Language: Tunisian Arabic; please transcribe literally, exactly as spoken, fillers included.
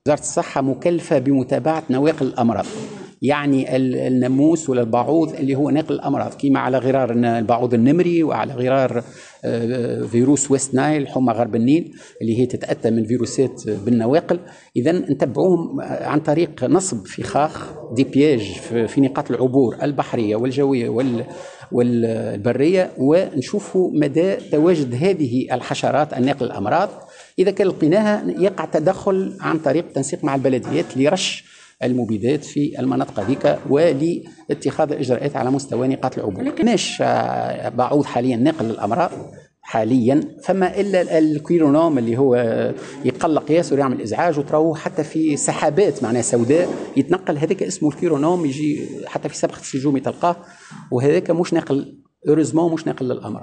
وزارة الصحة مكلفة بمتابعة نواقل الامراض، يعني الناموس ولا البعوض اللي هو ناقل الامراض، كما على غرار البعوض النمري وعلى غرار آه، فيروس West Nile، حمى غرب النيل، اللي هي تتاتى من فيروسات بالنواقل. اذا نتبعوهم عن طريق نصب فخاخ، des pièges، في نقاط العبور البحرية والجويه وال والبريه، ونشوفوا مدى تواجد هذه الحشرات الناقل الامراض. اذا كان لقيناها يقع تدخل عن طريق تنسيق مع البلديات لرش المبيدات في المناطق هذيك ولاتخاذ الاجراءات على مستوى نقاط العبور. ماش بعوض حاليا ناقل للامراض حاليا، فما الا ال chironome اللي هو يقلق ياسر ويعمل ازعاج، وتروه حتى في سحابات معناها سوداء يتنقل، هذاك اسمه ال chironome، يجي حتى في سبخه السيجومي تلقاه، وهذاك مش ناقل، heureusement مش ناقل للامراض.